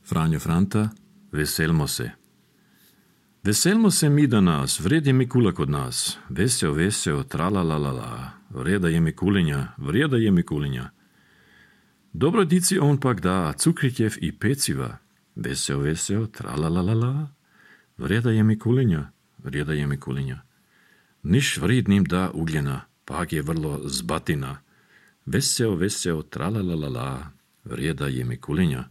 Franjo Franta, veselmo se. Veselmo se mi danas, vred je Mikula kod nas. Veseo, tralalalala, vreda je Mikulinja. Dobro dici on pak da cukritjev i peciva. Veseo, tralalalala, vreda je Mikulinja. Niš vridnim da ugljena, pak je vrlo zbatina. Veseo, tralalalala, vreda je Mikulinja.